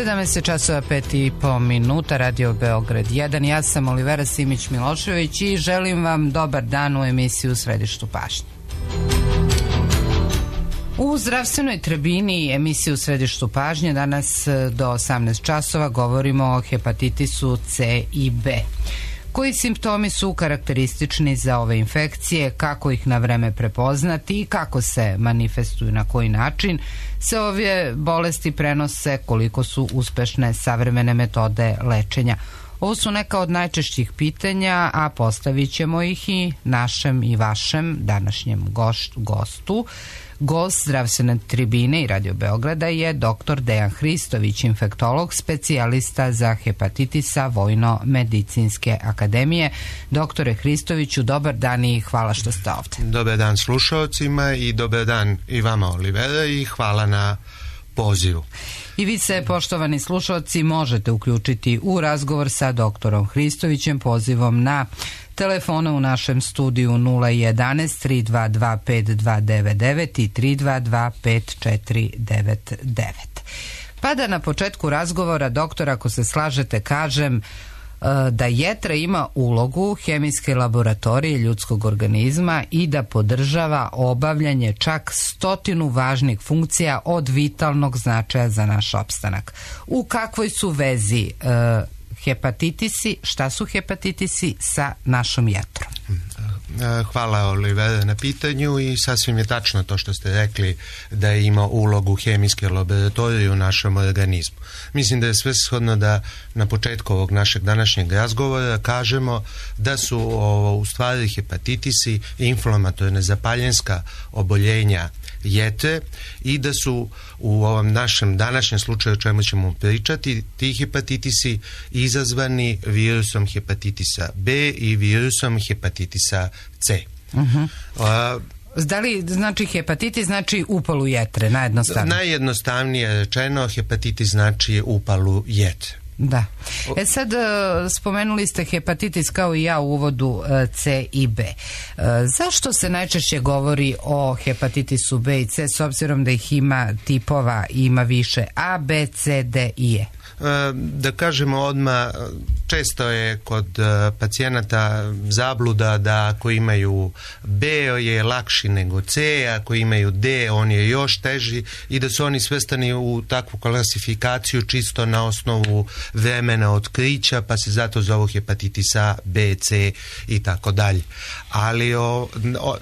17:05 Radio Beograd 1. Ja sam Olivera Simić-Milošević i želim vam dobar dan u emisiju U središtu pažnje. U zdravstvenoj tribini emisiju U središtu pažnje danas do 18 časova govorimo o hepatitisu C i B. Koji simptomi su karakteristični za ove infekcije, kako ih na vreme prepoznati i kako se manifestuju, na koji način se ove bolesti prenose, koliko su uspešne savremene metode lečenja. Ovo su neka od najčešćih pitanja, a postavit ćemo ih i našem i vašem današnjem gostu. Gost zdravstvene tribine i Radio Beograda je dr. Dejan Hristović, infektolog, specijalista za hepatitisa Vojno-medicinske akademije. Doktore Hristoviću, dobar dan i hvala što ste ovde. Dobar dan slušalcima i dobar dan i vama, Olivera, i hvala na pozivu. I vi se, poštovani slušalci, možete uključiti u razgovor sa doktorom Hristovićem pozivom na telefone u našem studiju 011 322 5299 i 322 5499. Pa da na početku razgovora, doktor, ako se slažete, kažem da jetra ima ulogu hemijske laboratorije ljudskog organizma i da podržava obavljanje čak 100 važnih funkcija od vitalnog značaja za naš opstanak. U kakvoj su vezi hepatitisi, šta su hepatitisi sa našom jetrom? Hvala, Olivera, na pitanju i sasvim je tačno to što ste rekli da ima ulogu hemijske laboratorije u našem organizmu. Mislim da je svrsishodno da na početku ovog našeg današnjeg razgovora kažemo da su u stvari hepatitisi inflamatorne zapaljenska oboljenja jetre i da su u ovom našem današnjem slučaju o čemu ćemo pričati ti hepatitisi izazvani virusom hepatitisa B i virusom hepatitisa C. Da li znači hepatitis znači upalu jetre, najjednostavnije? Najjednostavnije rečeno, hepatitis znači upalu jetre. Da. Sad spomenuli ste hepatitis kao i ja u uvodu C i B. Zašto se najčešće govori o hepatitisu B i C s obzirom da ih ima tipova, ima više A, B, C, D i E? Da kažemo odmah, često je kod pacijenata zabluda da ako imaju B je lakši nego C, ako imaju D on je još teži i da su oni svrstani u takvu klasifikaciju čisto na osnovu vremena otkrića, pa se zato zovu hepatitis A, B, C i tako dalje. Ali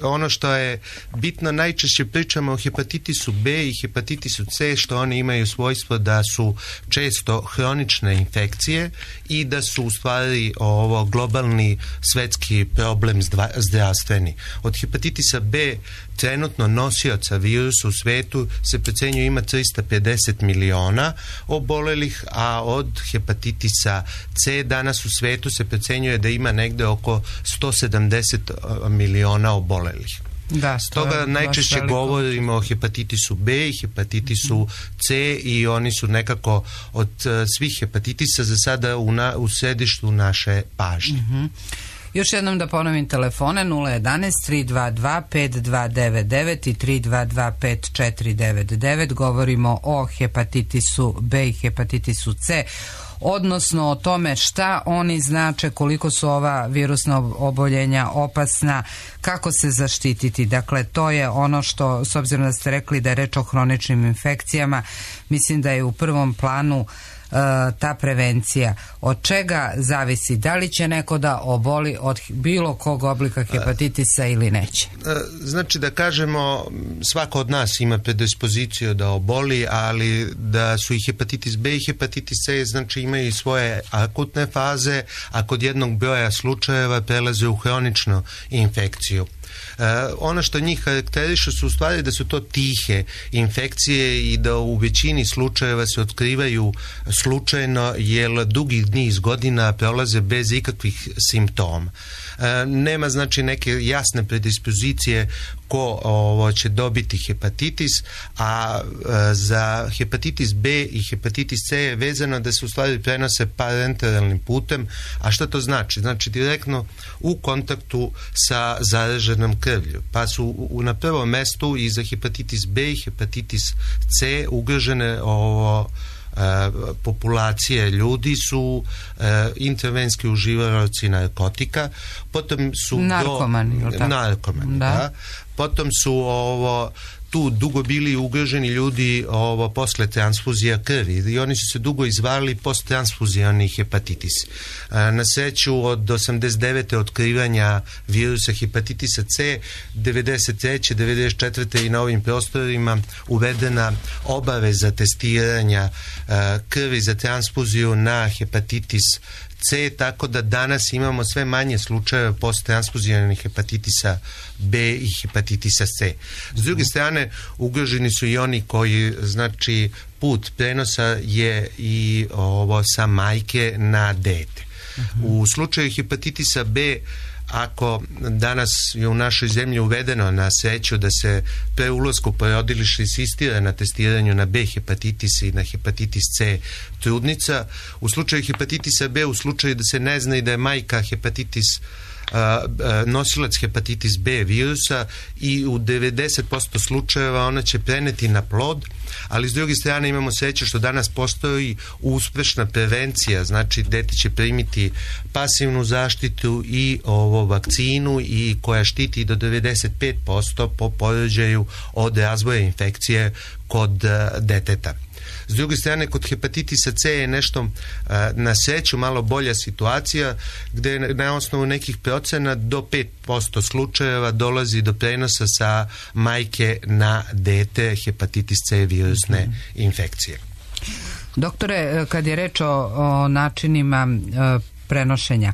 ono što je bitno, najčešće pričamo o hepatitisu B i hepatitisu C, što oni imaju svojstvo da su često hronične infekcije i da su u stvari ovo globalni svetski problem zdravstveni. Od hepatitisa B trenutno nosioca virusa u svetu se procenjuje ima 350 miliona obolelih, a od hepatitisa C danas u svetu se procenjuje da ima negde oko 170 miliona obolelih. Da, stoga najčešće govorimo o hepatitisu B i hepatitisu C i oni su nekako od svih hepatitisa za sada u središtu naše pažnje. Još jednom da ponovim telefone 011 322 5299 i 322 5499. Govorimo o hepatitisu B i hepatitisu C, odnosno o tome šta oni znače, koliko su ova virusna oboljenja opasna, kako se zaštititi. Dakle, to je ono što, s obzirom da ste rekli da je reč o hroničnim infekcijama, mislim da je u prvom planu ta prevencija. Od čega zavisi? Da li će neko da oboli od bilo kog oblika hepatitisa ili neće? Znači da kažemo, svako od nas ima predispoziciju da oboli, ali da su i hepatitis B i hepatitis C, znači imaju i svoje akutne faze, a kod jednog broja slučajeva prelaze u hroničnu infekciju. Ono što njih karakteriše su u stvari da su to tihe infekcije i da u većini slučajeva se otkrivaju slučajno jer dugi niz godina prolaze bez ikakvih simptoma. Nema znači neke jasne predispozicije ko će dobiti hepatitis, a za hepatitis B i hepatitis C je vezano da se u stvari prenose parenteralnim putem. A šta to znači? Znači direktno u kontaktu sa zaraženom krvlju. Pa su na prvom mestu i za hepatitis B i hepatitis C ugrožene populacije ljudi su intravenski uživaoci narkotika, potom su narkomani, da. Potom su tu dugo bili ugroženi ljudi posle transfuzija krvi i oni su se dugo izvarali posttransfuzioni hepatitis. Na sreću od 89. otkrivanja virusa hepatitisa C, 93. 94. i na ovim prostorima uvedena obaveza testiranja krvi za transfuziju na hepatitis C, tako da danas imamo sve manje slučajeva posttransfuzionih hepatitisa B i hepatitisa C. S druge strane, ugroženi su i oni koji, znači, put prenosa je i sa majke na dete. U slučaju hepatitisa B, ako danas je u našoj zemlji uvedeno na sreću da se pre ulasku u porodilište insistira na testiranju na B hepatitis i na hepatitis C trudnica, u slučaju hepatitisa B, u slučaju da se ne zna i da je majka nosilac hepatitis B virusa, i u 90% slučajeva ona će preneti na plod, ali s druge strane imamo sreće što danas postoji uspešna prevencija, znači dete će primiti pasivnu zaštitu i vakcinu i koja štiti do 95% po porođaju od razvoja infekcije kod deteta. S druge strane, kod hepatitisa C je nešto na sreću malo bolja situacija, gde na osnovu nekih procena do 5% slučajeva dolazi do prenosa sa majke na dete hepatitis C virusne infekcije. Doktore, kad je reč o načinima prenošenja,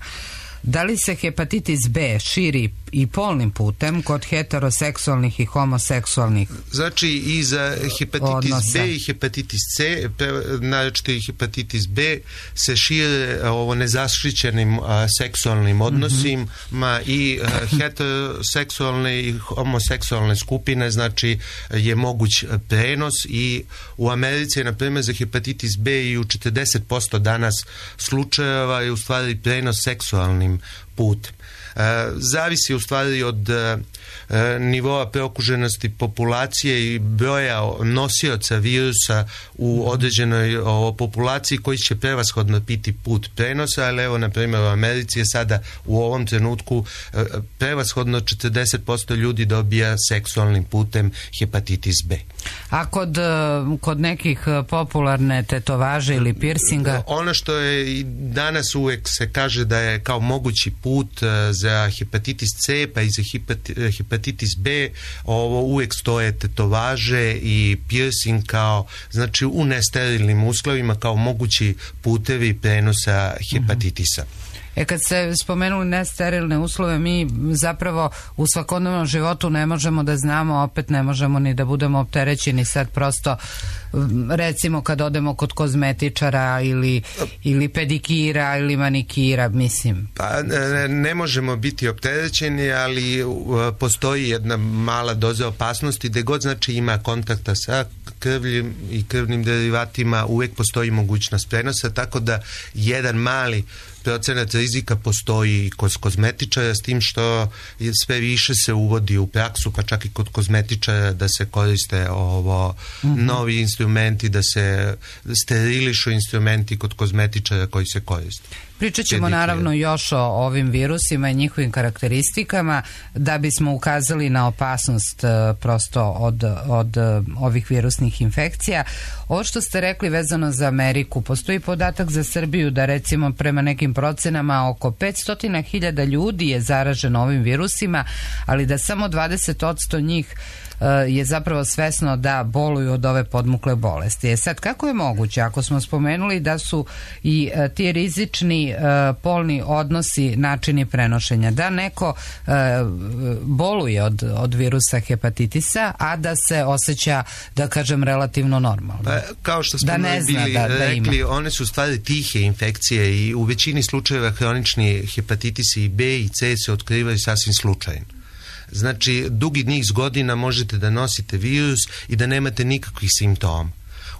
da li se hepatitis B širi i polnim putem kod heteroseksualnih i homoseksualnih znači i za hepatitis B i hepatitis C, naročito i hepatitis B, se šire nezaštićenim seksualnim odnosima i heteroseksualne i homoseksualne skupine, znači je moguć prenos, i u Americi je na primjer za hepatitis B i u 40% danas slučajeva je u stvari prenos seksualnim putem. Zavisi u stvari od nivoa preokuženosti populacije i broja nosioca virusa u određenoj populaciji koji će prevashodno biti put prenosa, ali evo na primjer u Americi je sada u ovom trenutku prevashodno 40% ljudi dobija seksualnim putem hepatitis B. A kod nekih popularne tetovaže ili piercinga? Ono što je i danas uvek se kaže da je kao mogući put za hepatitis C pa i za hepatitis B, uvek stoje tetovaže i piercing kao, znači u nesterilnim uslovima kao mogući putevi prenosa hepatitisa. Kad ste spomenuli nesterilne uslove, mi zapravo u svakodnevnom životu ne možemo da znamo, opet ne možemo ni da budemo opterećeni sad prosto, recimo kad odemo kod kozmetičara ili pedikira ili manikira, mislim. Pa ne možemo biti opterećeni, ali postoji jedna mala doza opasnosti, gde god znači ima kontakta sa krvljem i krvnim derivatima, uvek postoji mogućnost prenosa, tako da jedan mali procenat rizika postoji kod kozmetičara, s tim što sve više se uvodi u praksu, pa čak i kod kozmetičara, da se koriste novi instrumenti, da se sterilišu instrumenti kod kozmetičara koji se koriste. Pričat ćemo naravno još o ovim virusima i njihovim karakteristikama da bismo ukazali na opasnost prosto od ovih virusnih infekcija. Ovo što ste rekli vezano za Ameriku, postoji podatak za Srbiju da recimo prema nekim procenama oko 500.000 ljudi je zaraženo ovim virusima, ali da samo 20% njih je zapravo svesno da boluju od ove podmukle bolesti. Sad, kako je moguće, ako smo spomenuli da su i ti rizični polni odnosi načini prenošenja, da neko boluje od virusa hepatitisa, a da se osjeća, da kažem, relativno normalno? Pa, kao što smo rekli, one su stvari tihe infekcije i u većini slučajeva hronični hepatitisi i B i C se otkrivaju sasvim slučajno. Znači, dugi niz godina možete da nosite virus i da nemate nikakvih simptoma.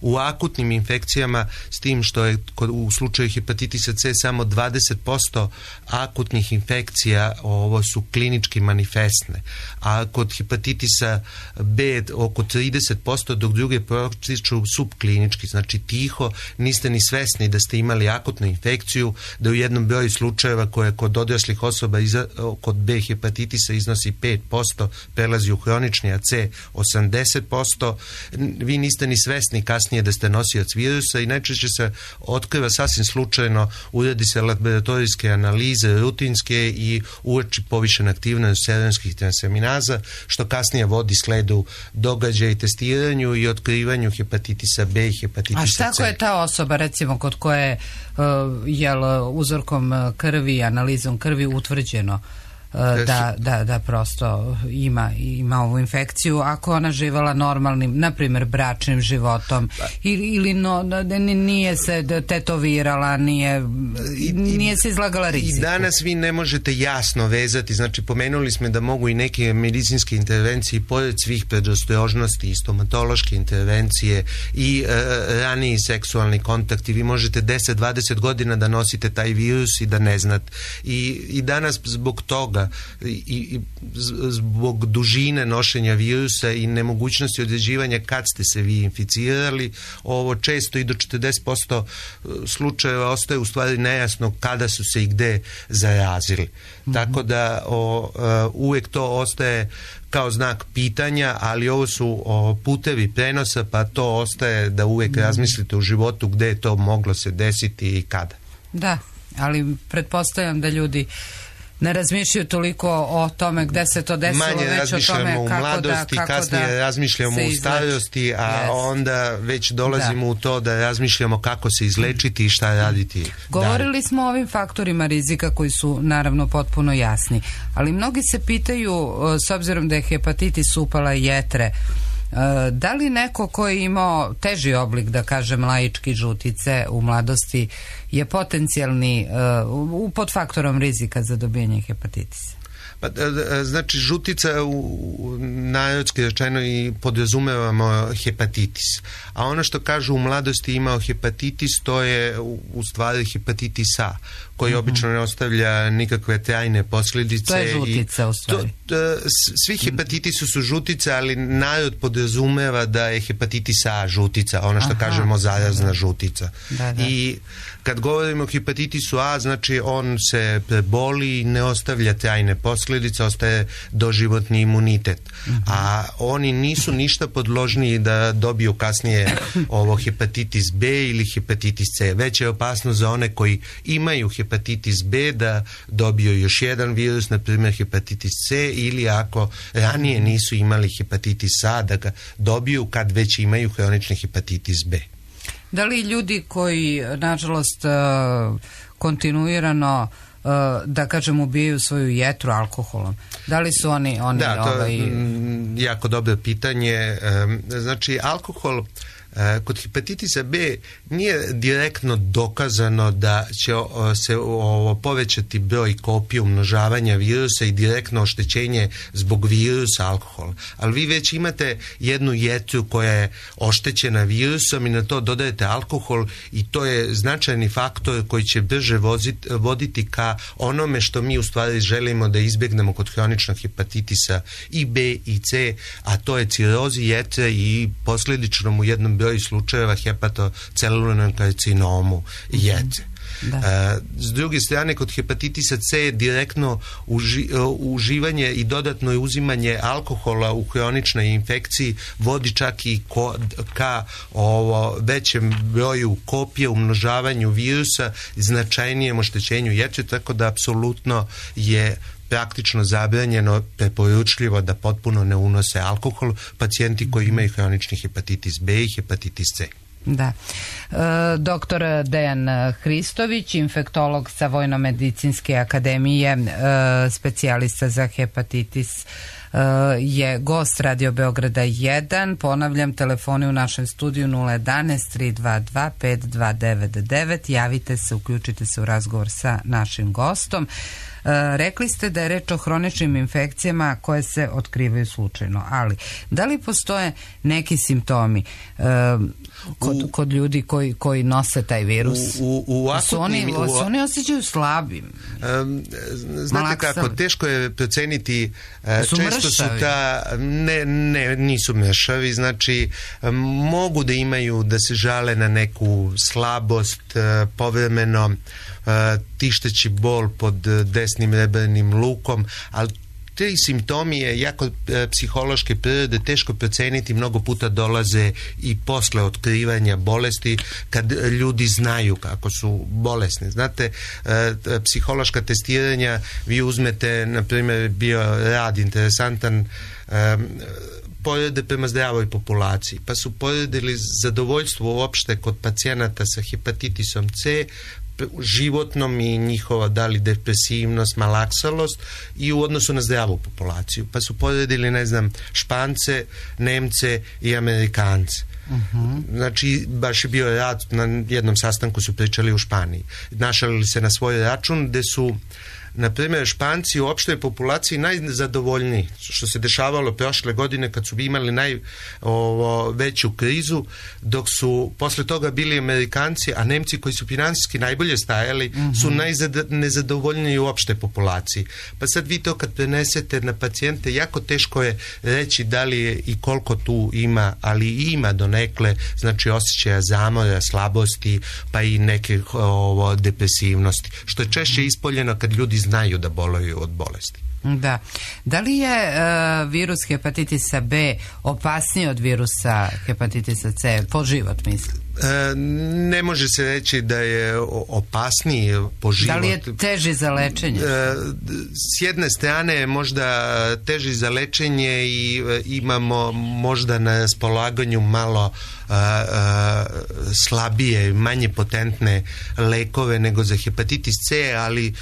u akutnim infekcijama, s tim što je u slučaju hepatitisa C samo 20% akutnih infekcija ovo su klinički manifestne, a kod hepatitisa B oko 30%, dok druge protiču subklinički, znači tiho, niste ni svesni da ste imali akutnu infekciju, da u jednom broju slučajeva koje kod odraslih osoba kod B hepatitisa iznosi 5%, prelazi u hronični, a C 80%, vi niste ni svesni kasnije da ste nosioc virusa i najčešće se otkriva sasvim slučajno, uradi se laboratorijske analize, rutinske i uoči povišena aktivnost seronskih transaminaza, što kasnije vodi sledu događaja i testiranju i otkrivanju hepatitisa B i hepatitisa C. A šta ako je ta osoba, recimo, kod koje uzorkom krvi, analizom krvi utvrđeno da prosto ima ovu infekciju, ako ona živela normalnim, na primjer, bračnim životom ili nije se tetovirala, nije se izlagala riziku. I danas vi ne možete jasno vezati, znači pomenuli smo da mogu i neke medicinske intervencije pored svih predostrožnosti i stomatološke intervencije i raniji seksualni kontakti, vi možete 10-20 godina da nosite taj virus i da ne znate. I danas zbog toga i zbog dužine nošenja virusa i nemogućnosti određivanja kad ste se vi inficirali, ovo često i do 40% slučajeva ostaje u stvari nejasno kada su se i gde zarazili. Tako da uvijek to ostaje kao znak pitanja, ali ovo su putevi prenosa, pa to ostaje da uvijek razmislite u životu gde je to moglo se desiti i kada. Da, ali pretpostavljam da ljudi ne razmišljaju toliko o tome gde se to desilo, manje već o tome u mladosti, kasnije razmišljamo u starosti, a onda već dolazimo u to da razmišljamo kako se izlečiti i šta raditi. Govorili smo o ovim faktorima rizika koji su naravno potpuno jasni, ali mnogi se pitaju, s obzirom da je hepatitis upala jetre, da li neko ko je imao teži oblik, da kažem laički, žutice u mladosti, je potencijalni pod faktorom rizika za dobijanje hepatitisa? Pa, znači žutica narodski rečeno i podrazumevamo hepatitis, a ono što kažu u mladosti imao hepatitis, to je u stvari hepatitis A, koji obično ne ostavlja nikakve trajne posljedice. To je žutica u stvari. Svi hepatitisi su žutice, ali narod podrazumeva da je hepatitis A žutica, ono što kažemo zarazna žutica. I kad govorimo o hepatitisu A, znači on se preboli i ne ostavlja trajne posljedice, ostaje doživotni imunitet. A oni nisu ništa podložniji da dobiju kasnije ovo hepatitis B ili hepatitis C. Već je opasnost za one koji imaju hepatitis B da dobiju još jedan virus, na primjer hepatitis C, ili ako ranije nisu imali hepatitis A da ga dobiju kad već imaju hronični hepatitis B. Da li ljudi koji, nažalost, kontinuirano, da kažem, ubijaju svoju jetru alkoholom, da li su oni da, to je jako dobro pitanje. Znači, alkohol kod hepatitisa B nije direktno dokazano da će se povećati broj kopija umnožavanja virusa i direktno oštećenje zbog virusa alkohola. Ali vi već imate jednu jetru koja je oštećena virusom i na to dodajete alkohol i to je značajni faktor koji će brže voditi ka onome što mi u stvari želimo da izbjegnemo kod hroničnog hepatitisa i B i C, a to je cirozi jetre i posljedično u jednom broju slučajeva hepatocelularnom karcinomu jetre. S druge strane, kod hepatitisa C je direktno uživanje i dodatno uzimanje alkohola u hroničnoj infekciji vodi čak i ka većem broju kopija, umnožavanju virusa, značajnijem oštećenju jetre, tako da apsolutno je praktično zabranjeno, preporučljivo da potpuno ne unose alkohol pacijenti koji imaju hronični hepatitis B i hepatitis C. Da. Doktor Dejan Hristović, infektolog sa Vojno-medicinske akademije, specijalista za hepatitis je gost Radio Beograda 1. Ponavljam, telefoni u našem studiju 011 322 5299. Javite se, uključite se u razgovor sa našim gostom. Rekli ste da je reč o hroničnim infekcijama koje se otkrivaju slučajno, ali da li postoje neki simptomi kod ljudi koji nose taj virus? Se oni osjećaju slabim? Znate kako, teško je proceniti, često su nisu mršavi, znači mogu da imaju, da se žale na neku slabost, povremeno tišteći bol pod desnim rebernim lukom, ali te simptomi je jako psihološke prirode, teško proceniti, mnogo puta dolaze i posle otkrivanja bolesti kad ljudi znaju kako su bolesni. Znate, psihološka testiranja, vi uzmete, na primjer, bio rad interesantan, porede prema zdravoj populaciji, pa su poredili zadovoljstvo uopšte kod pacijenata sa hepatitisom C, životnom i njihova da li depresivnost, malaksalost i u odnosu na zdravu populaciju. Pa su poredili, ne znam, Špance, Nemce i Amerikance. Znači, baš je bio rad, na jednom sastanku su pričali u Španiji. Našalili se na svoj račun gde su, na primjer, Španci u opštoj populaciji najzadovoljniji, što se dešavalo prošle godine kad su imali najveću krizu, dok su posle toga bili Amerikanci, a Nemci koji su finansijski najbolje stajali su nezadovoljniji u opšte populaciji. Pa sad vi to kad prenesete na pacijente, jako teško je reći da li je i koliko tu ima, ali ima donekle, znači osjećaja zamora, slabosti, pa i neke depresivnosti, što je češće ispoljeno kad ljudi znaju da boluju od bolesti. Da. Da li je virus hepatitisa B opasniji od virusa hepatitisa C po život, mislim? Ne može se reći da je opasniji po život. Da li je teži za lečenje? S jedne strane je možda teži za lečenje i imamo možda na raspolaganju malo slabije, manje potentne lekove nego za hepatitis C, ali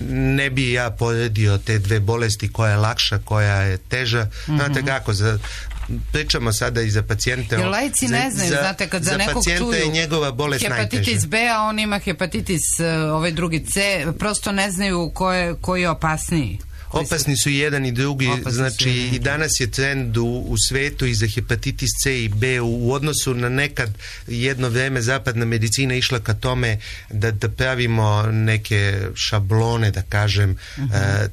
ne bi ja poredio te dve bolesti, koja je lakša, koja je teža. Znate kako, pričamo sada i za pacijente. Jer laici ne znaju, znate, kad za nekog čuju je njegova bolest hepatitis B, a on ima hepatitis ovaj drugi C, prosto ne znaju koji je opasniji. Opasni su i jedan i drugi, znači i danas je trend u svetu i za hepatitis C i B u odnosu na nekad jedno vreme zapadna medicina išla ka tome da pravimo neke šablone, da kažem,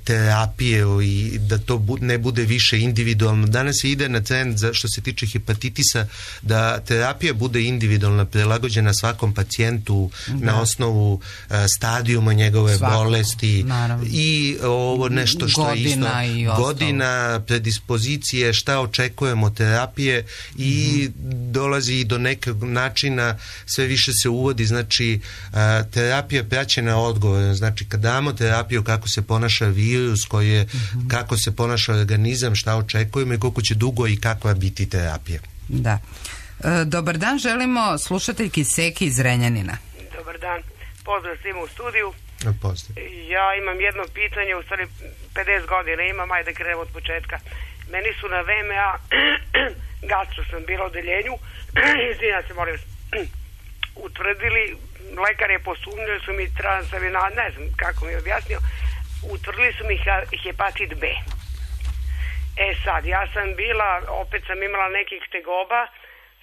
terapije i da to ne bude više individualno. Danas se ide na trend što se tiče hepatitisa da terapija bude individualna, prilagođena svakom pacijentu na osnovu stadijuma njegove bolesti i ovo nešto što je isto godina, predispozicije, šta očekujemo terapije i dolazi i do nekog načina, sve više se uvodi, znači terapija praćena odgovorom, znači kad damo terapiju kako se ponaša virus, kako se ponaša organizam, šta očekujemo i koliko će dugo i kakva biti terapija. Da. Dobar dan, želimo slušateljki Seki iz Renjanina. Dobar dan, pozdrav svima u studiju. Pozdrav. Ja imam jedno pitanje, u stvari 50 godina imam, ajde krenemo od početka. Meni su na VMA gastro sam bila u odeljenju, izvinjam se, molim vas, utvrdili, lekar je posumnjali su mi transaminaz, ne znam kako mi je objasnio, utvrdili su mi hepatit B. Sad, ja sam bila, opet sam imala nekih tegoba,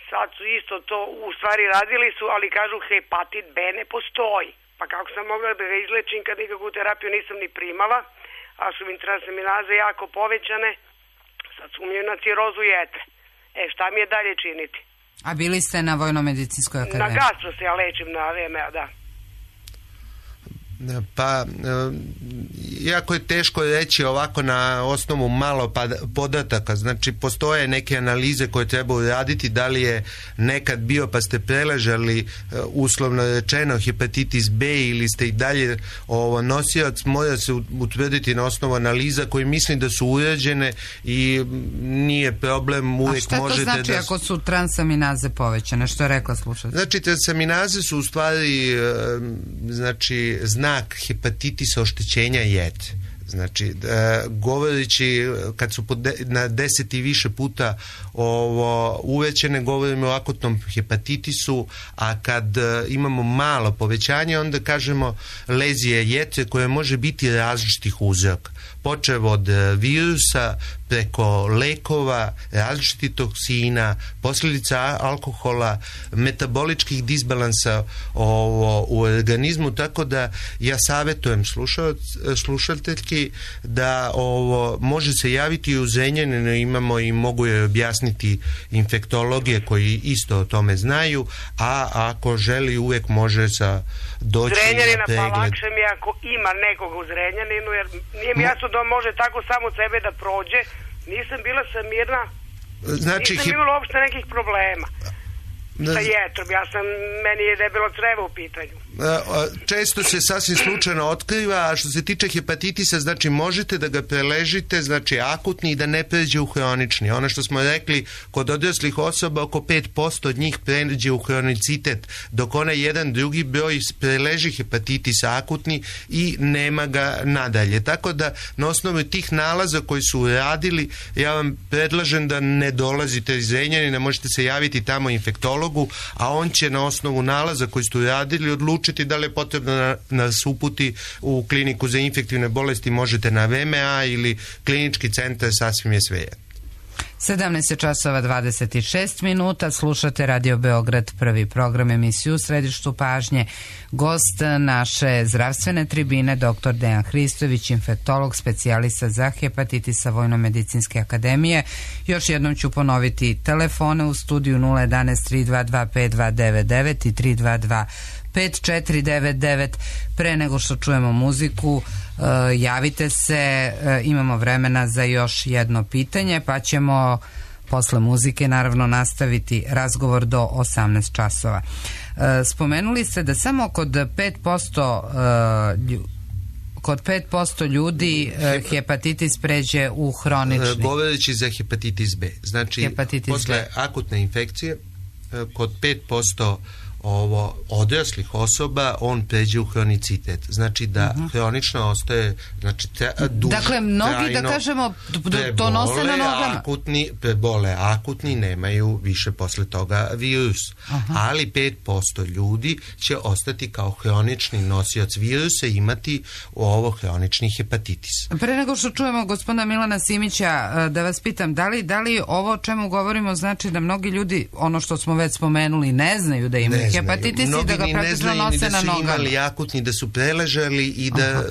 sad su isto to, u stvari radili su, ali kažu hepatit B ne postoji. Pa kako sam mogla da ga izlečim kad nikakvu terapiju nisam ni primala, a su mi transaminaze jako povećane, sad sumnjaju na cirozu jetre. Šta mi je dalje činiti? A bili ste na Vojno-medicinskoj akademiji? Na gastro se ja lečim na VMA, da. Pa, jako je teško reći ovako na osnovu malo podataka, znači postoje neke analize koje treba uraditi, da li je nekad bio pa ste preležali uslovno rečeno hepatitis B ili ste i dalje nosioc, mora se utvrditi na osnovu analiza koje mislim da su urađene i nije problem, uvijek možete da... A šta to znači ako su transaminaze povećane, što je rekla slušatelj? Znači transaminaze su u stvari znači znak hepatitisa, oštećenja jetre. Znači, govoreći kad su na 10 i više puta uvećane, govorimo o akutnom hepatitisu, a kad imamo malo povećanje, onda kažemo lezije jetre koje može biti različitih uzroka. Počev od virusa, preko lekova, različitih toksina, posljedica alkohola, metaboličkih disbalansa u organizmu, tako da ja savjetujem slušateljki da može se javiti i u Zrenjaninu, imamo i mogu je objasniti infektologije koji isto o tome znaju, a ako želi uvijek može doći Zrenjanina, na pregled. Pa lakše mi ako ima nekoga u Zrenjaninu, jer nije mi jasno da on može tako samo sebe da prođe. Nisam bila mirna, znači, nisam imala uopšte nekih problema sa jetrom, meni je debelo crevo u pitanju. Često se sasvim slučajno otkriva, a što se tiče hepatitisa, znači možete da ga preležite, znači akutni, i da ne pređe u hronični. Ono što smo rekli, kod odraslih osoba oko 5% od njih pređe u hronicitet, dok onaj jedan drugi broj preleži hepatitis akutni i nema ga nadalje. Tako da na osnovu tih nalaza koji su radili, ja vam predlažem da ne dolazite iz Zrenjanina, možete se javiti tamo infektologu, a on će na osnovu nalaza koji su radili odlučiti da li je potrebno nas uputi u kliniku za infektivne bolesti, možete na VMA ili klinički centar, sasvim je svejedno. 17:26, slušate Radio Beograd, prvi program, emisiju u središtu pažnje. Gost naše zdravstvene tribine, dr. Dejan Hristović, infektolog, specijalista za hepatitisa Vojno-medicinske akademije. Još jednom ću ponoviti telefone u studiju 011 322 5299 i 322 5499. Pre nego što čujemo muziku, javite se, imamo vremena za još jedno pitanje, pa ćemo posle muzike naravno nastaviti razgovor do 18 časova. Spomenuli ste da samo kod 5% ljudi hepatitis pređe u hronični. Govoreći za hepatitis B, znači posle akutne infekcije kod 5% odraslih osoba on pređe u hronicitet. Znači da hronično ostaje, znači duže, dakle, mnogi da kažemo to nose na nogama. Prebole akutni nemaju više posle toga virus. Ali 5% ljudi će ostati kao hronični nosioc virusa i imati hronični hepatitis. Pre nego što čujemo gospodina Milana Simića, da vas pitam, da li ovo o čemu govorimo znači da mnogi ljudi, ono što smo već spomenuli, ne znaju da imaju hepatitis i da ga praktično nose na nogama. Mnogi ni ne znaju ni da su imali akutni, da su preležali i da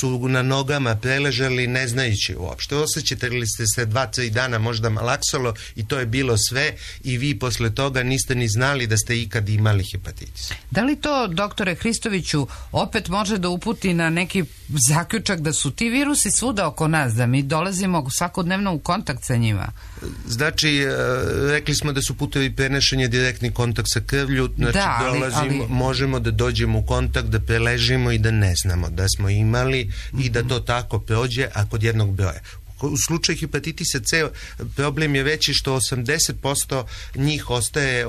su na nogama preležali ne znajući uopšte. Osjećate li ste se 2-3 dana možda malaksalo i to je bilo sve i vi posle toga niste ni znali da ste ikad imali hepatitis. Da li to, doktore Hristoviću, opet može da uputi na neki zaključak da su ti virusi svuda oko nas, da mi dolazimo svakodnevno u kontakt sa njima? Znači, rekli smo da su putevi prenošenja direktni kontakt sa krvlju, znači možemo da dođemo u kontakt, da preležimo i da ne znamo da smo imali i da to tako prođe, a kod jednog broja. U slučaju hepatitisa C problem je veći što 80% njih ostaje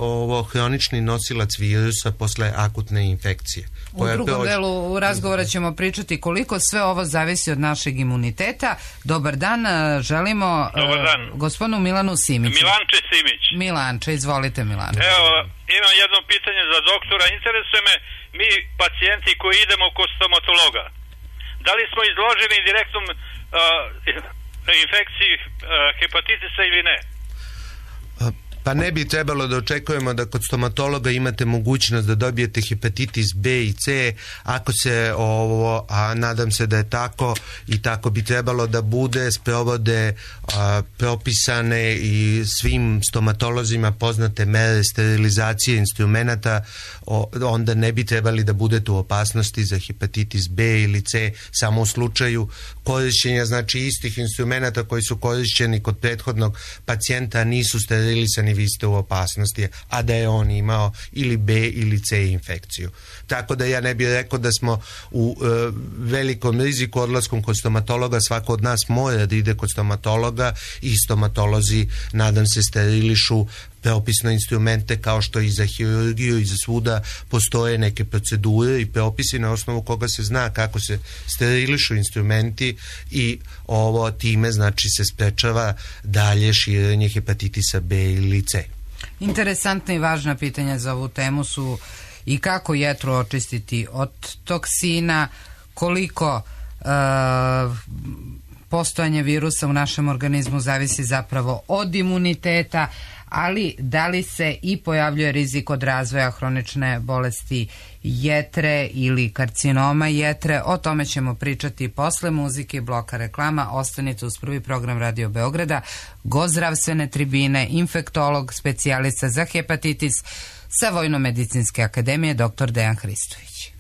hronični nosilac virusa posle akutne infekcije. U drugom delu razgovora ćemo pričati koliko sve ovo zavisi od našeg imuniteta. Dobar dan, želimo gospodinu Milanu Simiću. Milanče Simić. Milanče, izvolite Milanče. Evo, imam jedno pitanje za doktora. Interesuje me, mi pacijenti koji idemo kod stomatologa, da li smo izloženi direktnom infekciji hepatitisa ili ne? Pa ne bi trebalo da očekujemo da kod stomatologa imate mogućnost da dobijete hepatitis B i C, ako se a nadam se da je tako i tako bi trebalo da bude, sprovode propisane i svim stomatolozima poznate mere sterilizacije instrumenata, onda ne bi trebali da budete u opasnosti za hepatitis B ili C samo u slučaju korišćenja, znači istih instrumenata koji su korišćeni kod prethodnog pacijenta, a nisu sterilisani, vi ste u opasnosti, a da je on imao ili B ili C infekciju. Tako da ja ne bih rekao da smo u velikom riziku odlaskom kod stomatologa. Svako od nas mora da ide kod stomatologa i stomatolozi, nadam se, sterilišu preopisne instrumente kao što i za hirurgiju i za svuda postoje neke procedure i propisi na osnovu koga se zna kako se sterilišu instrumenti i ovo time znači se sprečava dalje širenje hepatitisa B ili C. Interesantna i važna pitanja za ovu temu su i kako jetru očistiti od toksina, koliko postojanje virusa u našem organizmu zavisi zapravo od imuniteta, ali da li se i pojavljuje rizik od razvoja hronične bolesti jetre ili karcinoma jetre. O tome ćemo pričati posle muzike i bloka reklama. Ostanite uz prvi program Radio Beograda. Gost zdravstvene tribine, infektolog, specijalista za hepatitis sa Vojno-medicinske akademije, dr. Dejan Hristović.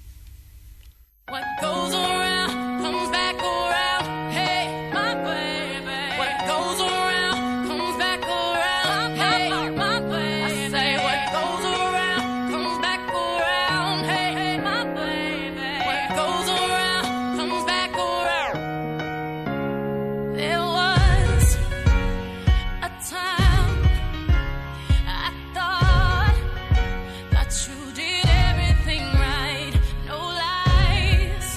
You did everything right, no lies.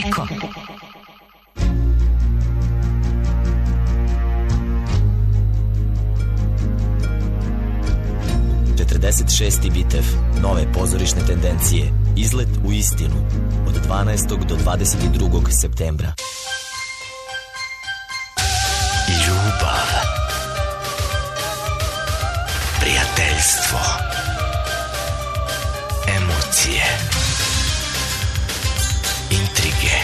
Eko. Šesti bitev, nove pozorišne tendencije, izlet u istinu, od 12. do 22. septembra. Ljubav, prijateljstvo, emocije, intrige,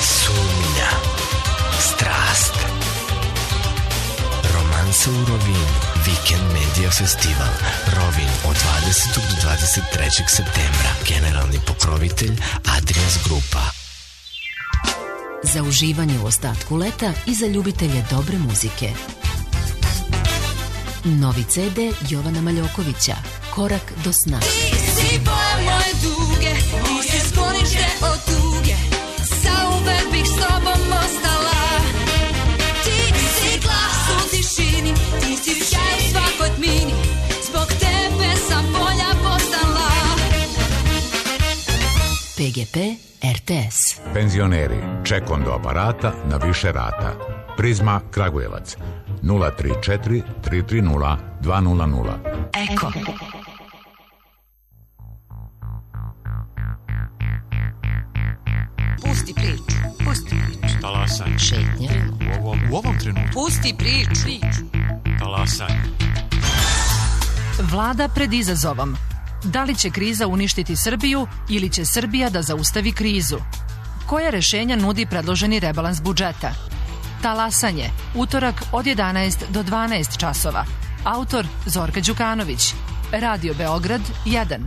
sumnja, strast, romansa u Rovinu. Weekend Media Festival Rovin od 20. do 23. septembra. Generalni pokrovitelj Adrians Grupa. Za uživanje u ostatku leta i za ljubitelje dobre muzike. Novi CD Jovana Maljokovića, Korak do sna. Ti si boje moje duge, ti si sklonište od tuge, zauvek bih s tobom ostala. Ti si glas u tišini, ti si sjaj u svakoj tmini, zbog tebe sam bolja postala. PGP RTS. Penzioneri, čekom do aparata na više rata. Prizma Kragujevac 034 330 200. Eko. Pusti priču, pusti priču. Talasanje. Šetnja. U ovom trenutku. Pusti priču. Talasanje. Vlada pred izazovom. Da li će kriza uništiti Srbiju ili će Srbija da zaustavi krizu? Koja rešenja nudi predloženi rebalans budžeta? Talasanje, utorak od 11 do 12 časova. Autor Zorka Đukanović. Radio Beograd 1.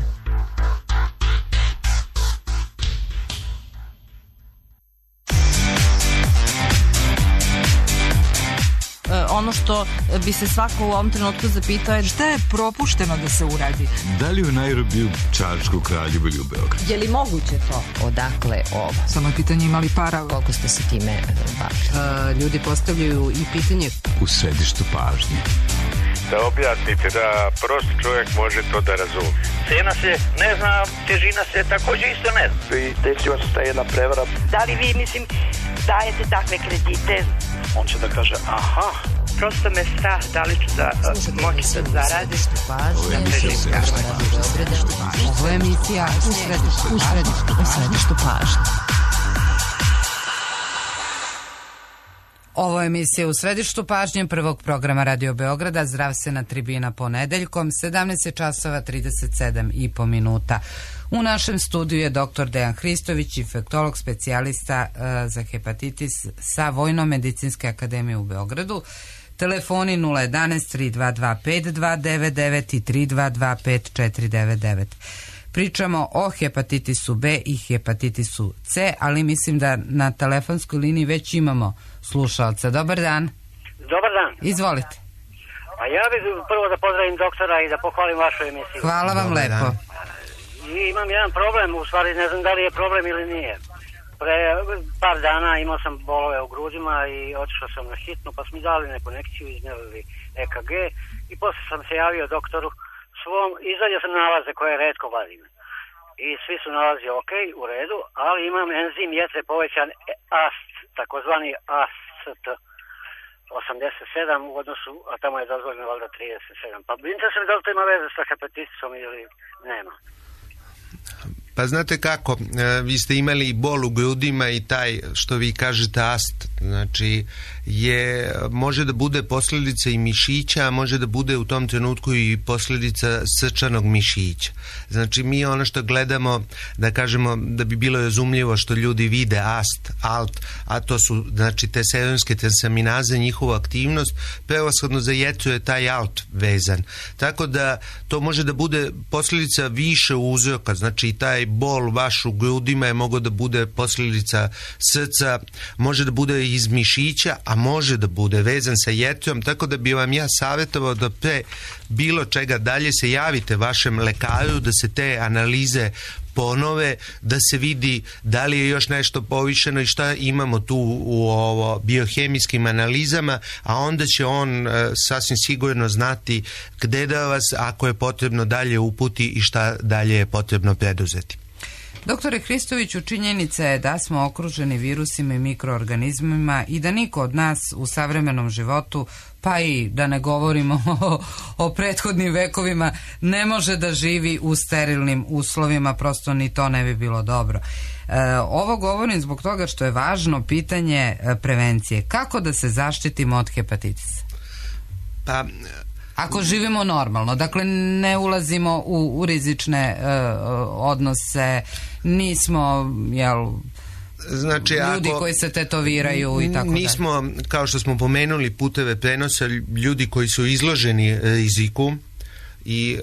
Ono što bi se svako u ovom trenutku zapitao je šta je propušteno da se uradi. Da li u Nairobiju, Čačku, Kraljevu ili u Beogradu? Je li moguće to? Odakle ovo? Samo je pitanje imali para. Koliko ste se time bavili? Ljudi postavljaju i pitanje U središtu pažnje. Da objasnite da prost čovjek može to da razumije. Cena se ne zna, težina se također isto ne zna. I desila se ta jedna prevara. Da li vi, dajete takve kredite? On će da kaže, aha. Prosto me strah, da li ću da moći da zaradim. Ovo je emisija u središtu pažnje. Ovo je emisija u središtu pažnje prvog programa Radio Beograda, zdravstvena tribina ponedeljkom, 17 časova 37,5 minuta. U našem studiju je dr. Dejan Hristović, infektolog, specijalista za hepatitis sa Vojno-medicinske akademije u Beogradu. Telefoni 011 322 5299 i 322 5499. Pričamo o hepatitisu B i hepatitisu C, ali mislim da na telefonskoj liniji već imamo slušalca. Dobar dan. Dobar dan. Izvolite. A ja bih prvo da pozdravim doktora i da pohvalim vašu emisiju. Hvala vam lepo. I imam jedan problem, u stvari ne znam da li je problem ili nije. Pre par dana imao sam bolove u grudima i otišao sam na hitnu, pa su mi dali neku konekciju, izmjerili EKG i posle sam se javio doktoru svom, izadio sam nalaze koje redko vadim. I svi su nalazi ok, u redu, ali imam enzim jetre povećan AST, takozvani AST 87 u odnosu, a tamo je dozvoljeno valjda 37. Pa interesuje me da li to ima veze sa hepatitisom ili nema. Pa znate kako, vi ste imali bol u grudima i taj, što vi kažete, ast, znači može da bude posljedica i mišića, a može da bude u tom trenutku i posljedica srčanog mišića. Znači mi ono što gledamo, da kažemo da bi bilo razumljivo što ljudi vide ast, alt, a to su znači te serumske transaminaze, njihovu aktivnost, prevashodno za jetru je taj alt vezan. Tako da to može da bude posljedica više uzroka, znači taj bol vaš u grudima je mogao da bude posljedica srca, može da bude iz mišića, a može da bude vezan sa jetrom, tako da bi vam ja savjetovao da pre bilo čega dalje se javite vašem lekaru, da se te analize ponove, da se vidi da li je još nešto povišeno i šta imamo tu u biohemijskim analizama, a onda će on sasvim sigurno znati gde da vas, ako je potrebno, dalje uputi i šta dalje je potrebno preduzeti. Doktore Hristoviću, činjenica je da smo okruženi virusima i mikroorganizmima i da niko od nas u savremenom životu, pa i da ne govorimo o prethodnim vekovima, ne može da živi u sterilnim uslovima, prosto ni to ne bi bilo dobro. Ovo govorim zbog toga što je važno pitanje prevencije. Kako da se zaštitimo od hepatitisa? Pa... Ako živimo normalno, dakle ne ulazimo u rizične odnose, nismo, znači, ljudi koji se tetoviraju i tako dalje. Nismo, kao što smo pomenuli, puteve prenosa, ljudi koji su izloženi riziku i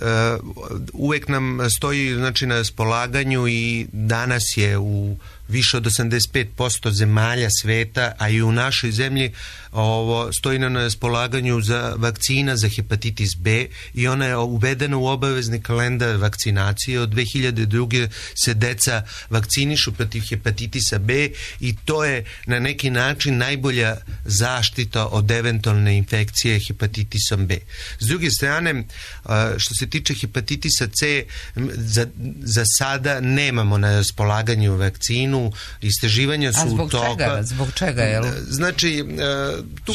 uvek nam stoji, znači, na raspolaganju i danas je u više od 85% zemalja sveta, a i u našoj zemlji stoji na raspolaganju za vakcina za hepatitis B i ona je uvedena u obavezni kalendar vakcinacije. Od 2002. se deca vakcinišu protiv hepatitisa B i to je na neki način najbolja zaštita od eventualne infekcije hepatitisom B. S druge strane, što se tiče hepatitisa C, za sada nemamo na raspolaganju vakcinu. Istraživanja su u toku. Zbog čega? Znači,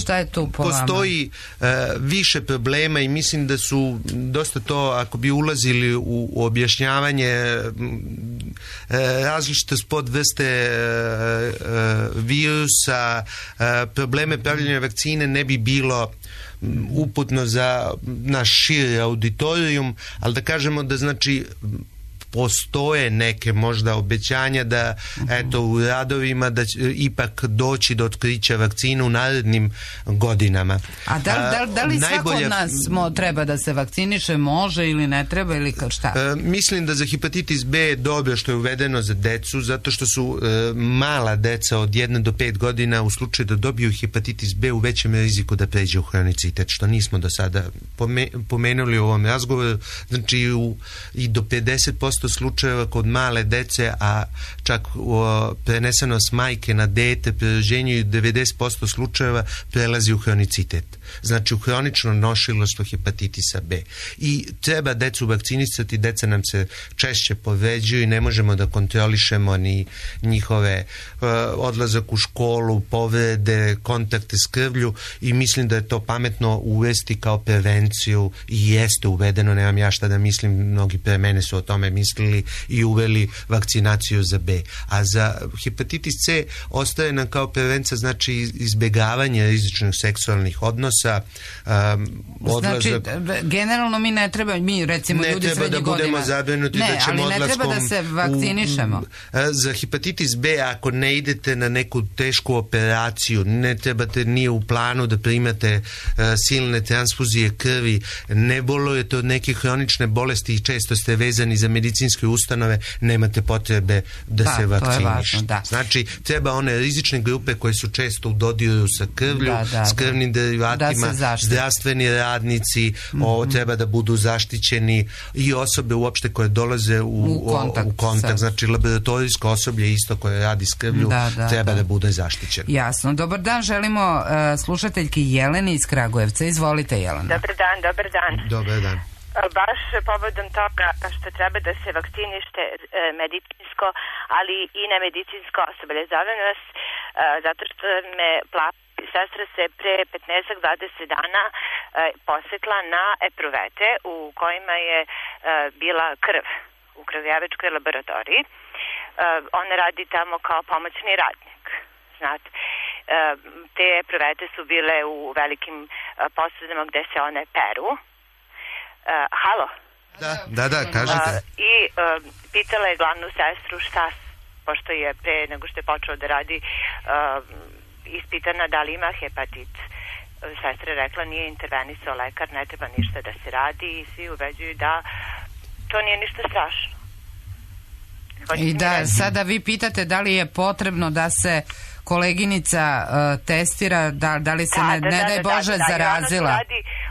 šta je tu po postoji više problema i mislim da su dosta to, ako bi ulazili u objašnjavanje različite podvrste virusa, probleme pravljenja vakcine ne bi bilo uputno za naš širi auditorijum, ali da kažemo da, znači, postoje neke možda obećanja da eto u radovima da će ipak doći do otkrića vakcina u narednim godinama. A da li svako od nas treba da se vakciniše, može ili ne treba ili šta? Mislim da za hepatitis B je dobro što je uvedeno za decu, zato što su mala deca od 1 do 5 godina u slučaju da dobiju hepatitis B u većem riziku da pređe u hronicitet, što nismo do sada pomenuli u ovom razgovoru. Znači i do 50% slučajeva kod male dece, a čak preneseno s majke na dete pri rođenju i 90% slučajeva prelazi u hronicitet. Znači u hronično nosilaštvo hepatitisa B. I treba decu vakcinisati, deca nam se češće povređuju i ne možemo da kontrolišemo ni njihove odlazak u školu, povrede, kontakte s krvlju i mislim da je to pametno uvesti kao prevenciju i jeste uvedeno, nemam ja šta da mislim, mnogi pre mene su o tome mislili i uveli vakcinaciju za B. A za hepatitis C ostaje nam kao prevencija, znači izbjegavanje rizičnih seksualnih odnosa. Znači, generalno mi ne treba, mi recimo ljudi srednjih godina, ali ne treba da se vakcinišemo. Za hepatitis B, ako ne idete na neku tešku operaciju, ne trebate, nije u planu da primate silne transfuzije krvi, ne bolujete od neke hronične bolesti i često ste vezani za medicinske ustanove, nemate potrebe da se vakcinišete. Znači, treba one rizične grupe koje su često u dodiru sa krvlju, s krvnim derivatima, zdravstveni radnici, treba da budu zaštićeni i osobe uopšte koje dolaze u kontakt. Znači, laboratorijsko osoblje isto koje radi s krvlju treba da bude zaštićeno. Jasno. Dobar dan, želimo slušateljki Jeleni iz Kragujevca. Izvolite, Jelena. Dobar dan. Dobar dan. Baš povodom toga što treba da se vakcinište medicinsko, ali i nemedicinsko osoblje. Zovem vas zato što me sestra se pre 15-20 dana posetla na epruvete u kojima je bila krv u krvjačkoj laboratoriji. Ona radi tamo kao pomoćni radnik. Znate, te epruvete su bile u velikim posudama gde se one peru. Halo? Da, kažete. I pitala je glavnu sestru šta, pošto je pre nego što je počeo da radi ispitana da li ima hepatit. Sestra je rekla nije intervenisao lekar, ne treba ništa da se radi i svi ubeđuju da to nije ništa strašno. I da sada vi pitate da li je potrebno da se koleginica testira, da li se ne daj Bože zarazila.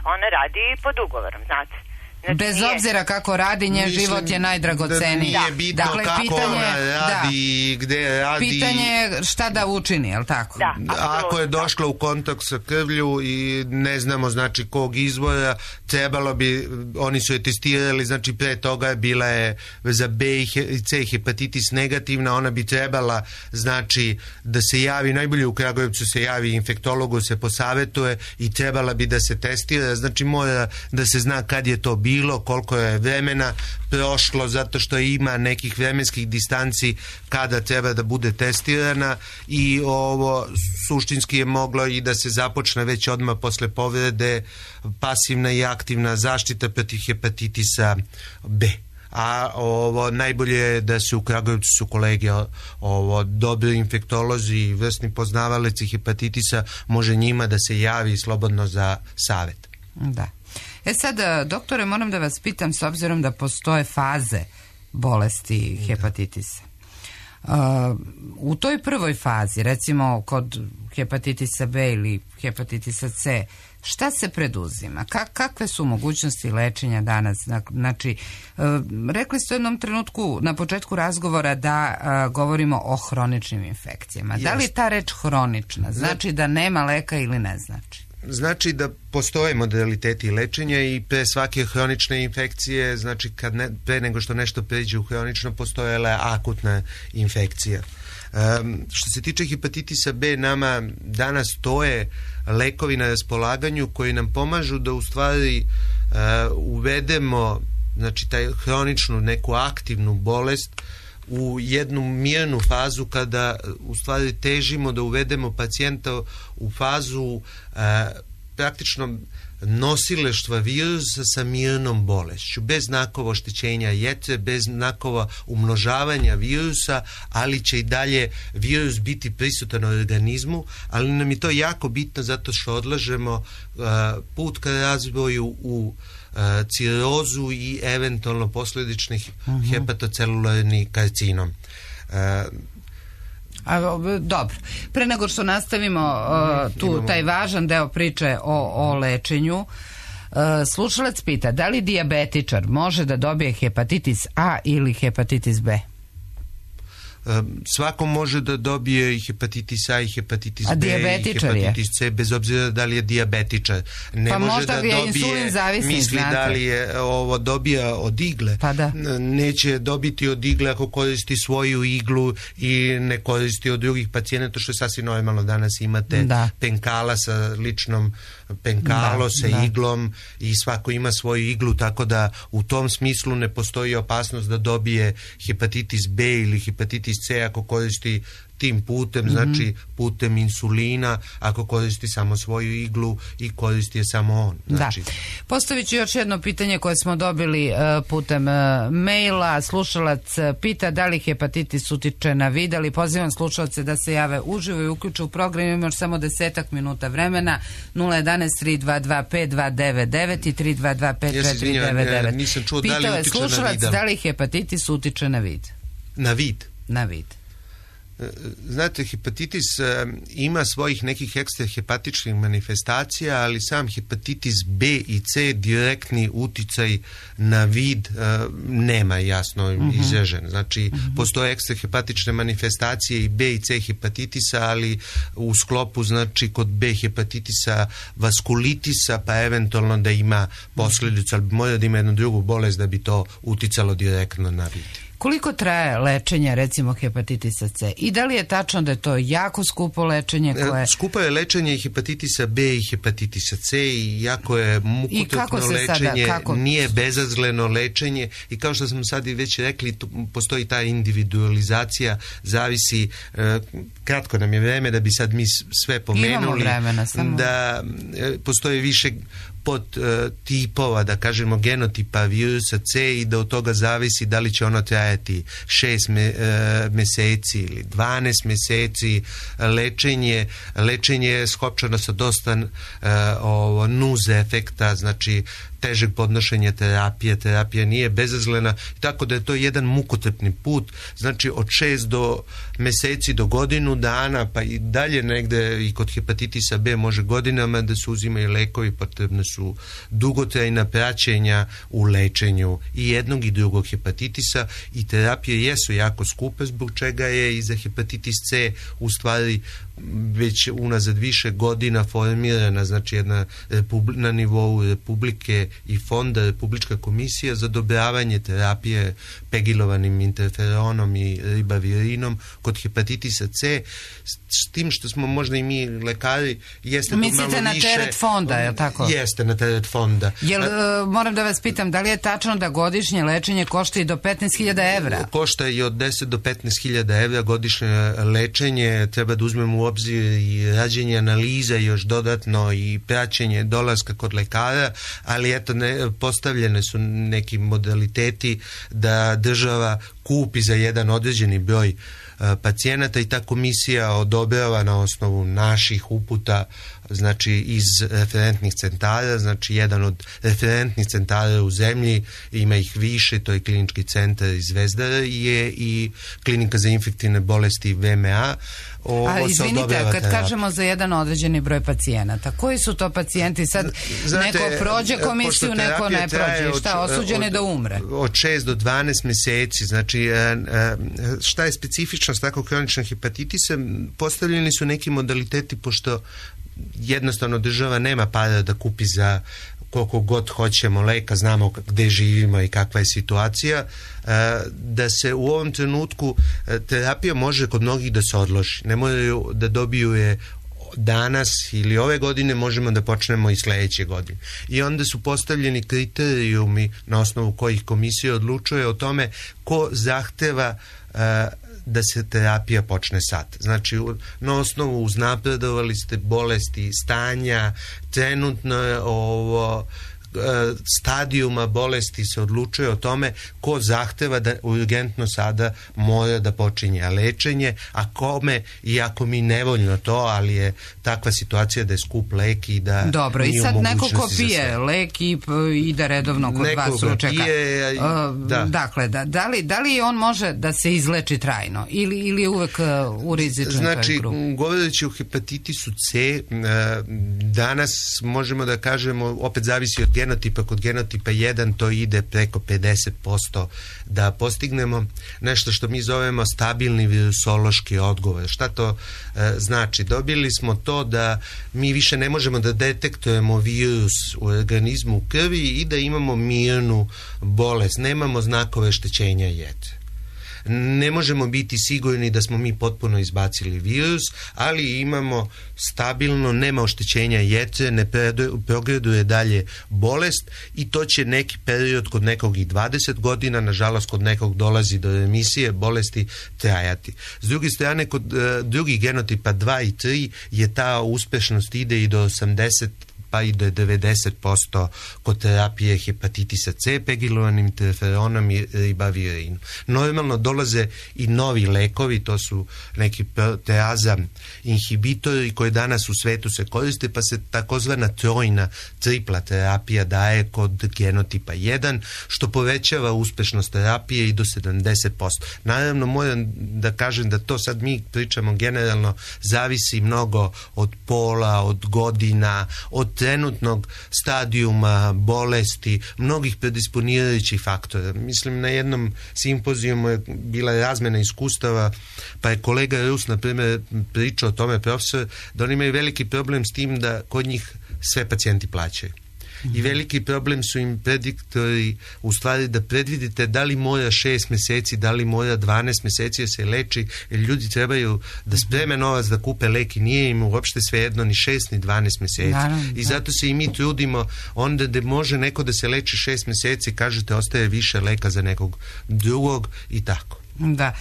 Ona radi pod ugovorom, znate. Bez obzira kako radi, njen život je najdragoceniji. Nije bitno kako ona radi, gde radi. Pitanje je šta da učini, je li tako? Ako je došla u kontakt sa krvlju i ne znamo znači kog izvora, trebalo bi, oni su je testirali, znači pre toga bila je za B i C hepatitis negativna, ona bi trebala znači da se javi, najbolje u Kragujevcu se javi infektologu, se posavetuje i trebala bi da se testira, znači mora da se zna kad je to bilo, koliko je vremena prošlo, zato što ima nekih vremenskih distanci kada treba da bude testirana i ovo suštinski je moglo i da se započne već odmah posle povrede pasivna i aktivna zaštita protiv hepatitisa B. A ovo najbolje je da se u Kragujevcu su kolege dobri infektolozi i vrsni poznavalici hepatitisa, može njima da se javi slobodno za savet. Da. Sad, doktore, moram da vas pitam, s obzirom da postoje faze bolesti hepatitisa. U toj prvoj fazi, recimo kod hepatitisa B ili hepatitisa C, šta se preduzima? Kakve su mogućnosti lečenja danas? Znači, rekli ste u jednom trenutku na početku razgovora da govorimo o hroničnim infekcijama. Da li je ta reč hronična? Znači da nema leka ili ne znači? Znači da postoje modaliteti lečenja i pre svake hronične infekcije, znači pre nego što nešto pređe u hronično, postojala akutna infekcija. Što se tiče hepatitisa B, nama danas stoje lekovi na raspolaganju koji nam pomažu da u stvari uvedemo znači taj hroničnu neku aktivnu bolest u jednu mirnu fazu kada u stvari težimo da uvedemo pacijenta u fazu praktično nosileštva virusa sa mirnom bolešću, bez znakova oštećenja jetre, bez znakova umnožavanja virusa, ali će i dalje virus biti prisutan u organizmu, ali nam je to jako bitno zato što odlažemo put ka razvoju u cirozu i eventualno posljedičnih hepatocelularni karcinom. Dobro. Pre nego što nastavimo taj važan deo priče o lečenju, slušalac pita da li dijabetičar može da dobije hepatitis A ili hepatitis B? Svako može da dobije i hepatitis A i hepatitis B i hepatitis C, bez obzira da li je dijabetičar. Ne može da dobije, misli da li je ovo dobija od igle. Neće dobiti od igle ako koristi svoju iglu i ne koristi od drugih pacijenata, što je sasvim normalno. Danas imate penkala sa ličnom penkalo sa iglom i svako ima svoju iglu, tako da u tom smislu ne postoji opasnost da dobije hepatitis B ili hepatitis C ako koristi tim putem, znači putem insulina, ako koristi samo svoju iglu i koristi je samo on. Znači. Postavit ću još jedno pitanje koje smo dobili putem maila. Slušalac pita da li hepatitis utiče na vid, ali pozivam slušalce da se jave uživo i uključe u program. Imamo još samo 10 minuta vremena. 011 322 5299 i 322 5499. Nisam čuo da li utiče na vid. Pitao je slušalac da li hepatitis utiče na vid. Na vid? Na vid. Znate, hepatitis ima svojih nekih ekstrahepatičnih manifestacija, ali sam hepatitis B i C direktni uticaj na vid nema jasno izražen. Znači, postoje ekstrahepatične manifestacije i B i C hepatitisa, ali u sklopu, znači, kod B hepatitisa vaskulitisa, pa eventualno da ima posljedicu, ali mora da ima jednu drugu bolest da bi to uticalo direktno na vid. Koliko traje lečenje, recimo, hepatitisa C? I da li je tačno da je to jako skupo lečenje koje... Skupo je lečenje hepatitisa B i hepatitisa C i jako je mukotrpno lečenje, nije bezazleno lečenje i kao što smo sad i već rekli, postoji ta individualizacija, zavisi, kratko nam je vreme da bi sad mi sve pomenuli. Imamo vremena, samo... Da postoji više pod tipova, da kažemo genotipa virusa C i da od toga zavisi da li će ono trajati trajati 6 meseci ili 12 meseci. Lečenje je skopčano sa dosta nuze efekta, znači težeg podnošenja terapija nije bezazlena, tako da je to jedan mukotrpni put, znači od 6 meseci do godinu dana, pa i dalje negde i kod hepatitisa B može godinama da se uzimaju lekovi, potrebne su dugotrajna praćenja u lečenju i jednog i drugog hepatitisa i terapije jesu jako skupe, zbog čega je i za hepatitis C u stvari već unazad više godina formirana, znači jedna na nivou Republike i fonda Republička komisija za odobravanje terapije pegilovanim interferonom i ribavirinom kod hepatitisa C, s tim što smo možda i mi lekari jeste mislite na teret fonda, je li tako? Jeste na teret fonda. Moram da vas pitam, da li je tačno da godišnje lečenje košta i do 15.000 evra? Košta i od 10 do 15.000 evra godišnje lečenje, treba da uzmemo u obzir i rađenje analiza još dodatno i praćenje dolaska kod lekara, ali eto postavljene su neki modaliteti da država kupi za jedan određeni broj pacijenata i ta komisija odobrava na osnovu naših uputa, znači iz referentnih centara, znači jedan od referentnih centara u zemlji, ima ih više, to je klinički centar iz Zvezdara, je i klinika za infektivne bolesti VMA. Izvinite, kad kažemo za jedan određeni broj pacijenata, koji su to pacijenti? Sad neko prođe komisiju, neko ne prođe. Šta, osuđen je da umre? Od 6 do 12 meseci. Znači, šta je specifičnost takvog kroničnog hepatitisa? Postavljeni su neki modaliteti, pošto jednostavno država nema para da kupi za koliko god hoćemo leka, znamo gde živimo i kakva je situacija, da se u ovom trenutku terapija može kod mnogih da se odloži. Ne moraju da dobiju je danas ili ove godine, možemo da počnemo i sledeće godine. I onda su postavljeni kriterijumi na osnovu kojih komisija odlučuje o tome ko zahteva da se terapija počne sad. Znači, na osnovu uznapredovali ste bolesti, stanja, trenutno je stadijuma bolesti se odlučuje o tome ko zahteva da urgentno sada mora da počinje lečenje, a kome, iako mi nevoljno to, ali je takva situacija da je skup lek i da dobro, i sad neko ko pije lek i ide redovno kod vas ručeka. Dakle, da li on može da se izleči trajno ili je uvek u rizičnoj znači, grupi? govoreći o hepatitisu C, danas možemo da kažemo, opet zavisi od genotipa, kod genotipa 1 to ide preko 50% da postignemo nešto što mi zovemo stabilni virusološki odgovor. Šta to znači? Dobili smo to da mi više ne možemo da detektujemo virus u organizmu u krvi i da imamo mirnu bolest, nemamo znakove oštećenja jetre. Ne možemo biti sigurni da smo mi potpuno izbacili virus, ali imamo stabilno, nema oštećenja jetre, ne progreduje dalje bolest i to će neki period kod nekog i 20 godina, nažalost kod nekog dolazi do remisije bolesti, trajati. S druge strane, kod drugih genotipa 2 i 3 je ta uspešnost ide i do 80 pa i do 90% kod terapije hepatitisa C, pegilovanim interferonom i ribavirinom. Normalno dolaze i novi lekovi, to su neki proteaza inhibitori koji danas u svetu se koriste, pa se takozvana trojna tripla terapija daje kod genotipa 1, što povećava uspešnost terapije i do 70%. Naravno, moram da kažem da to sad mi pričamo generalno, zavisi mnogo od pola, od godina, od trenutnog stadijuma bolesti, mnogih predisponirajućih faktora. Mislim, na jednom simpozijumu je bila razmena iskustava, pa je kolega Rus, na primjer, pričao o tome, profesor, da oni imaju veliki problem s tim da kod njih sve pacijenti plaćaju. I veliki problem su im prediktori, u stvari da predvidite da li mora 6 meseci, da li mora 12 meseci da se leči, jer ljudi trebaju da spreme novac da kupe lek i nije im uopšte svejedno ni 6 ni 12 meseci. I zato se i mi trudimo, onda da može neko da se leči 6 meseci, kažete ostaje više leka za nekog drugog i tako. Da.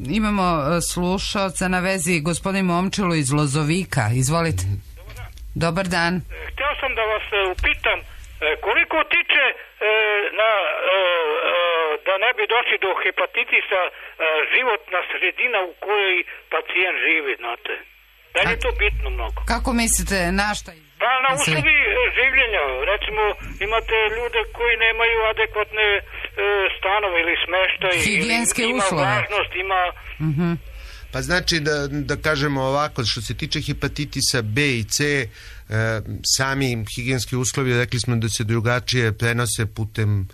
Imamo slušaoca na vezi, gospodin Momčilo iz Lozovika. Izvolite. Dobar dan. Htio sam da vas upitam koliko tiče da ne bi došli do hepatitisa životna sredina u kojoj pacijent živi, znate. Da li je to bitno mnogo? Kako mislite, na šta? Pa na uslovi življenja. Recimo, imate ljude koji nemaju adekvatne stanove ili smeštaj. Higijenske ima uslove. Vlažnost, ima... Pa znači da kažemo ovako, što se tiče hepatitisa B i C, sami higijenski uslovi, rekli smo da se drugačije prenose putem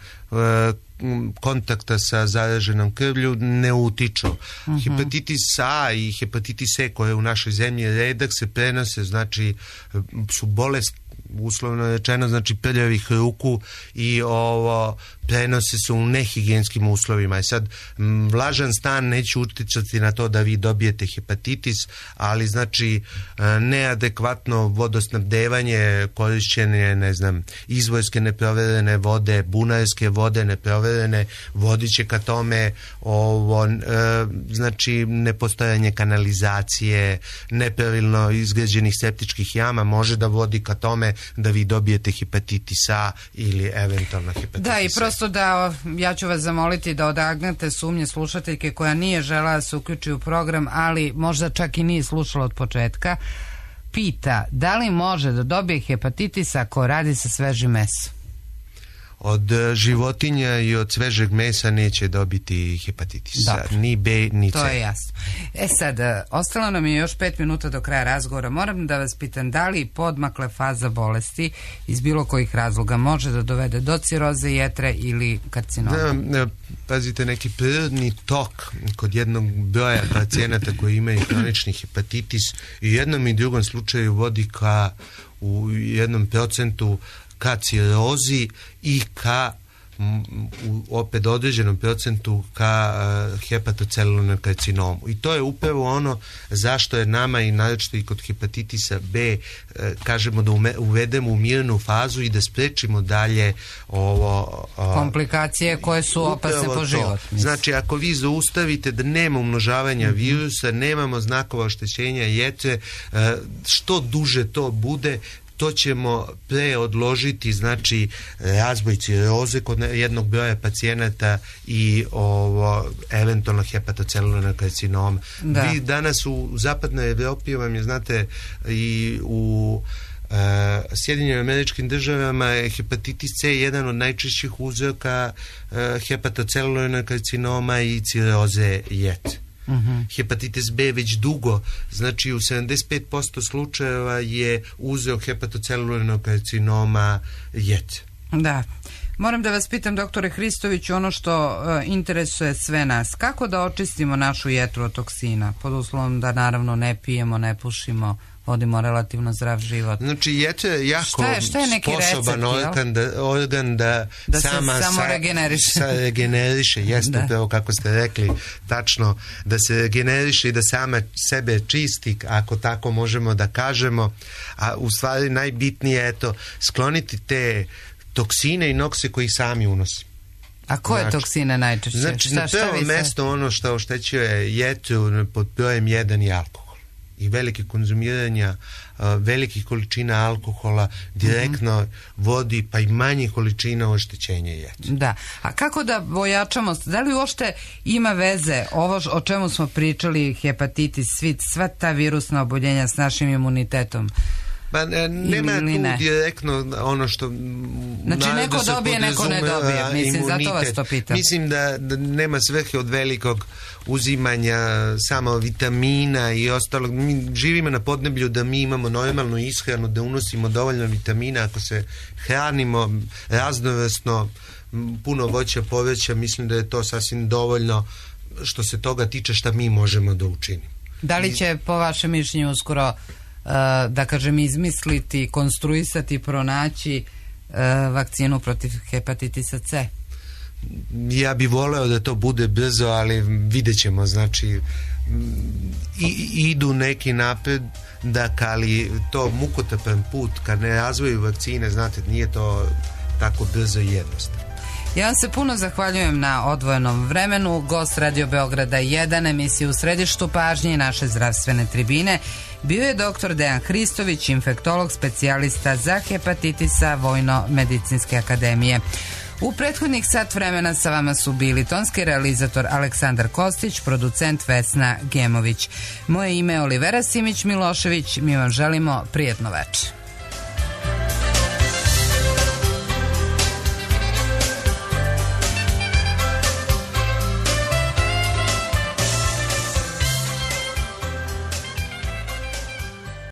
kontakta sa zaraženom krvlju, ne utiču. Hepatitis A i hepatitis C koje u našoj zemlji redak se prenose, znači su bolest, uslovno rečeno, znači prljavih ruku i ovo prenose se u nehigijenskim uslovima. I sad, vlažan stan neće uticati na to da vi dobijete hepatitis, ali znači neadekvatno vodosnabdevanje, korišćenje, ne znam, izvorske neproverene vode, bunarske vode neproverene, vodit će ka tome znači nepostojanje kanalizacije, nepravilno izgrađenih septičkih jama može da vodi ka tome da vi dobijete hepatitis A ili eventualno hepatitis C. Da, i prosto da, ja ću vas zamoliti da odagnete sumnje slušateljke koja nije žela da se uključi u program, ali možda čak i nije slušala od početka, pita da li može da dobije hepatitis ako radi sa svežim mesom? Od životinja i od svežeg mesa neće dobiti hepatitis. Ni B, ni C. To je jasno. Sad, ostalo nam je još 5 minuta do kraja razgovora. Moram da vas pitam, da li podmakle faza bolesti iz bilo kojih razloga može da dovede do ciroze jetre ili karcinoma? Pazite, neki prirodni tok kod jednog broja pacijenata koji imaju kronični hepatitis i u jednom i drugom slučaju vodi ka u 1% ka cirozi i ka opet određenom procentu ka hepatocelularnom karcinomu. I to je upravo ono zašto je nama i naročito i kod hepatitisa B kažemo da uvedemo u mirnu fazu i da sprečimo dalje komplikacije koje su opasne po život. Znači, ako vi zaustavite da nema umnožavanja virusa, nemamo znakova oštećenja jetre, što duže to bude, to ćemo preodložiti, znači razvoj ciroze kod jednog broja pacijenata i eventualno hepatocelularnog karcinoma. Vi danas u zapadnoj Evropi vam je, znate, i u Sjedinjenim Američkim Državama je hepatitis C jedan od najčešćih uzroka hepatocelularnog karcinoma i ciroze jetre. Hepatitis B već dugo, znači u 75% slučajeva je uzrok hepatocelularnog karcinoma jetre. Da. Moram da vas pitam, doktore Hristoviću, ono što interesuje sve nas, kako da očistimo našu jetru od toksina, pod uslovom da naravno ne pijemo, ne pušimo, vodimo relativno zdrav život. Znači, jetra je jako sposoban organ da sama regeneriše. Jeste upravo kako ste rekli, tačno, da se regeneriše i da sama sebe čisti, ako tako možemo da kažemo. A u stvari najbitnije je skloniti te toksine i nokse koji sami unosi. A koje toksine najčešće? Znači, na prvo mesto ono što oštećuje jetru pod brojem 1 je alkohol. I velike konzumiranja velikih količina alkohola direktno vodi pa i manje količina oštećenja jetre. Da. A kako da ojačamo, da li uopšte ima veze ovo o čemu smo pričali, hepatitis, sva ta virusna oboljenja s našim imunitetom? Pa nema tu direktno ono što... Znači neko dobije, neko ne dobije. Mislim, zato vas to pitam. Mislim da nema svrhe od velikog uzimanja samo vitamina i ostalog. Mi živimo na podneblju da mi imamo normalnu ishranu, da unosimo dovoljno vitamina. Ako se hranimo raznovrsno, puno voća, povrća, mislim da je to sasvim dovoljno što se toga tiče šta mi možemo da učinimo. Da li će po vašem mišljenju uskoro da kažem izmisliti, konstruisati, pronaći vakcinu protiv hepatitisa C? Ja bih voleo da to bude brzo, ali vidjet ćemo, znači idu neki napredak, ali to mukotrpan put kad ne razvoju vakcine, znate, nije to tako brzo i jednostavno. Ja vam se puno zahvaljujem na odvojenom vremenu. Gost Radio Beograda 1, emisije u središtu pažnje i naše zdravstvene tribine bio je dr. Dejan Hristović, infektolog, specijalista za hepatitisa Vojno-medicinske akademije. U prethodnih sat vremena sa vama su bili tonski realizator Aleksandar Kostić, producent Vesna Gemović. Moje ime je Olivera Simić Milošević, mi vam želimo prijatno večer.